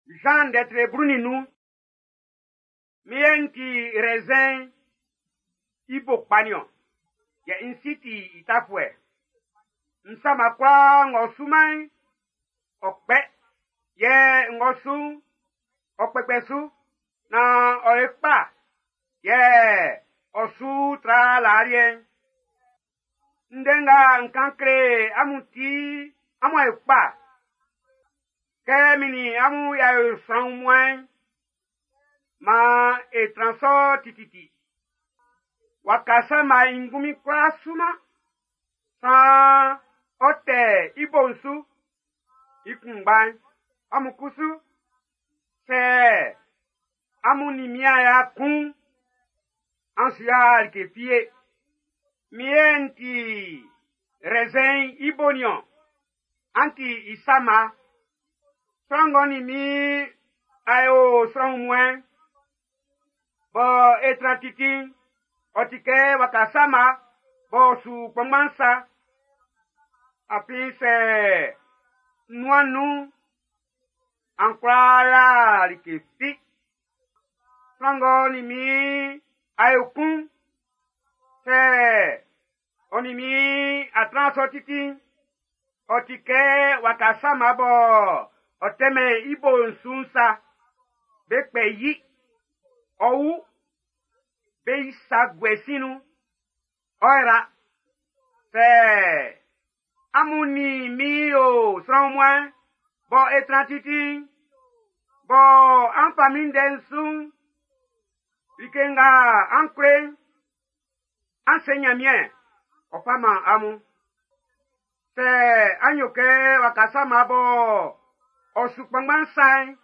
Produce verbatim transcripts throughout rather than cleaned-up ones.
Jean ndɛtre blu nin nnun. Mi yɛ n ti raisin i bo kpa niɔn, yɛ n si ti i tafuɛ. N sama kwlaa ng'ɔ suman'n, ɔ kpɛ, yɛ ng'ɔ su'n, ɔ kpɛkpɛ su, naan ɔ ye kpa, yɛ ɔ su tra laa liɛ'n. Ndɛ nga n kan kle amun ti amun a yo kpa. Kɛ min nin amun y'a yo sran wunmuan'n, maan e tran sɔ tititi. Waka sama i ngunmin kwlá suman, saan ɔ tɛ i bo'n su. I kunngba'n, amun kusu, sɛ amun nin min a kun'n, an su yoman like fi ye. Min yɛ n ti raisin i bo niɔn, an ti i sama. Sran ng'ɔ nin min a yo sran wunmuan'n, bɔ e tran titi'n, ɔ ti kɛ waka sama b'ɔ su kpanngban sa. Afin sɛ nuan nun, an kwla yoman like fi. Sran ng'ɔ nin min a yo kun'n, sɛ ɔ nin min a tran sɔ titi'n, ɔ ti kɛ waka sama bɔ ɔ tɛmɛn i bo'n su'n sa. Be kpɛ yi, ɔ wu, be yi sa guɛ sin nun, ɔ yra. Sɛ amun nin min yo sran wunmuan'n, bɔ e tran titi'n, bɔ an fa min ndɛ'n su'n, like nga an kle'n, an se Ɲanmiɛn, ɔ fa man amun. Sɛ an yo kɛ waka sama bɔ ɔ su kpanngban sa'n,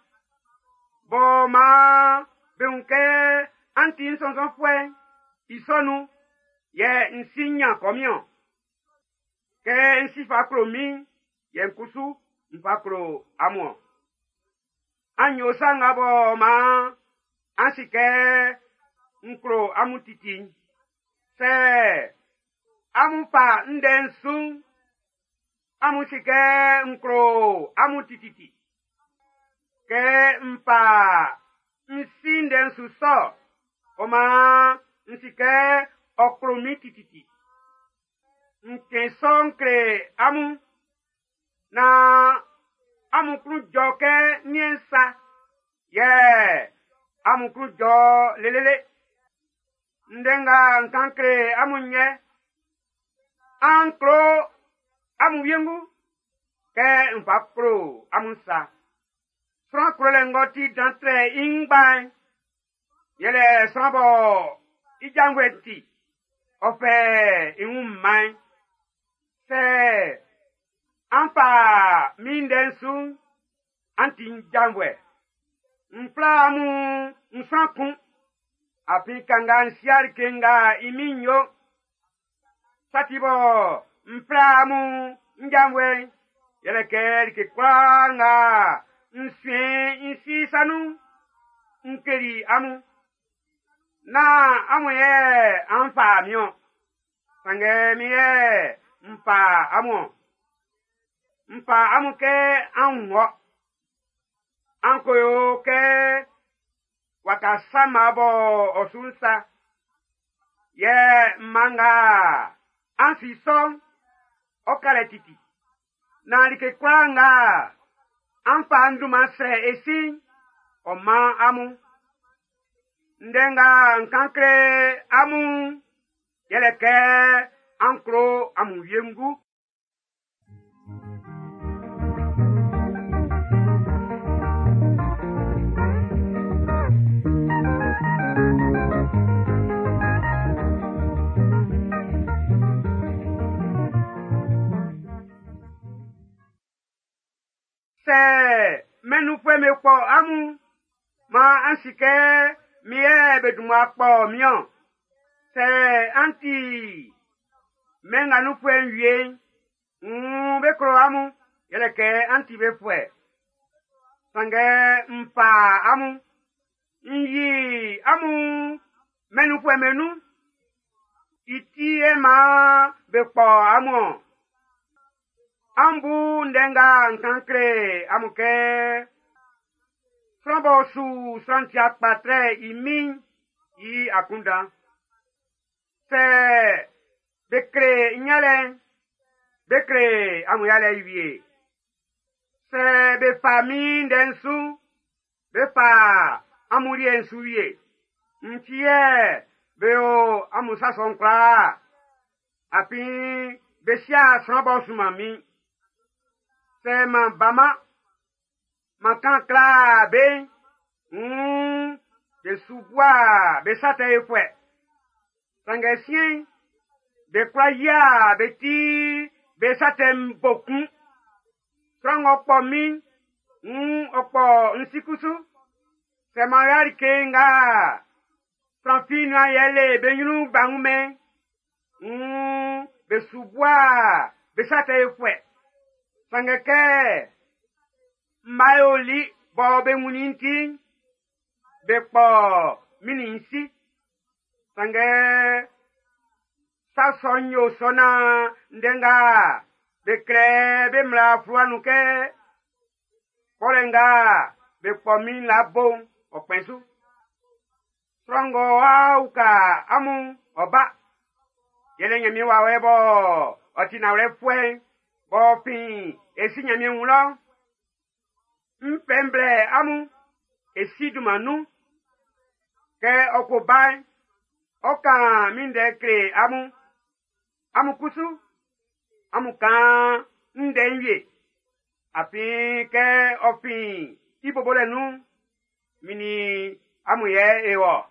bɔ maan be wun kɛ an ti n sɔnnzɔnfuɛ'n, i sɔ nun yɛ n si nyan kɔmin-ɔn. Kɛ n si fa klo min'n, yɛ n kusu n fa klo amun-ɔn. An yo sa nga bɔ maan an si kɛ n klo amun titi'n. Sɛ amun fa ndɛ'n su'n, amun si kɛ n klo amun tititi. Kɛ n fa n si ndɛ'n su sɔ, ɔ maan n si kɛ ɔ klo min tititi. N kɛn sɔ'n kle amun, naan amun klun jɔ kɛ niɛn sa, yɛ amun klun jɔ lelele. Ndɛ nga n kan kle amun yɛ, an klo amun wiengu kɛ n fa klo amun sa. Sran klolɛ ng'ɔ ti dan trɛ i ngba'n, yɛlɛ sran bɔ i janvuɛ ti, ɔ fɛ i wun man'n. Sɛ an fa min ndɛ'n su'n, an ti n janvuɛ. N fla amun n sran kun, afin kanga n si'a like nga i min'n yo. Sa ti bɔ n fla amun n janvuɛ'n, yɛlɛ kɛ like kwlaa nga n suen n si sa nun'n, n keli amun. Nán amun yɛ an fa min-ɔn, sanngɛ min yɛ n fa amun-ɔn. N fa amun kɛ an wɔ. An ko yo kɛ waka sama bɔ ɔ su'n sa. Yɛ mma nga an si sɔ'n, ɔ ka lɛ titi. Naan like kwlaa nga an fa n dunman srɛ e si'n, ɔ man amun. Ndɛ nga n kan kle amun'n, yɛlɛ kɛ an klo amun wiengu. Sɛ mɛn nunfuɛ'm be kpɔ amun, maan an si kɛ min yɛ be dun mmua kpɔ min-ɔn. Sɛ an ti mɛn nga nunfuɛ'n wie'n, wuun be klo amun, yɛlɛ kɛ an ti be fuɛ. Sanngɛ n fa amun, n yi amun mɛn nunfuɛ'm be nun. I ti yɛ maan be kpɔ amun-ɔn. An bu ndɛ nga n kan kle amun kɛ Sran b'ɔ su sran tia kpa trɛ i min'n i akunndan. Sɛ be kle n yalɛ'n, be kle amun yalɛ wie. Sɛ be fa min ndɛ'n su, be fa amun liɛ'n su wie. N ti yɛ be yo amun sa sɔ'n kwlaa. Afin be si'a sran b'ɔ sunman min. Sɛ m'an ba-man, m'an kan kla be'n, wuun be su bua be sa tɛ fuɛ. Sanngɛ siɛn'n, be kwla yia be ti be sa tɛ'n bo kun. Sran ng'ɔ kpɔ min'n, wuun ɔ kpɔ n si kusu. Sɛ m'an yo like nga sran fi nuan yɛle be nyrun b'a wun-mɛn, wuun be su bua be sa tɛ fuɛ. Sanngɛ kɛ mma yoli bɔ be wunnin ti'n, be kpɔ min nin n si. Sanngɛ sa sɔ'n yo sɔ naan ndɛ nga be klɛ be mmla fluwa nun kɛ kpɔlɛ nga be kpɔ min la bo'n ɔ kpɛn su. Sran ng'ɔ wa uka amun ɔ ba. Yɛlɛ Nyanmiɛn wawɛ bɔ ɔ ti nanwlɛfuɛ'n b'ɔ fin e si Nyanmiɛn wun lɔ. N fɛ n blɛ amun e si dunman nun. Kɛ ɔ ko ba'n, ɔ kan min ndɛ kle amun. Amun kusu, amun kan ndɛ'n wie. Afin kɛ ɔ fin i bobolɛ nun'n, min nin amun yɛ e wɔ.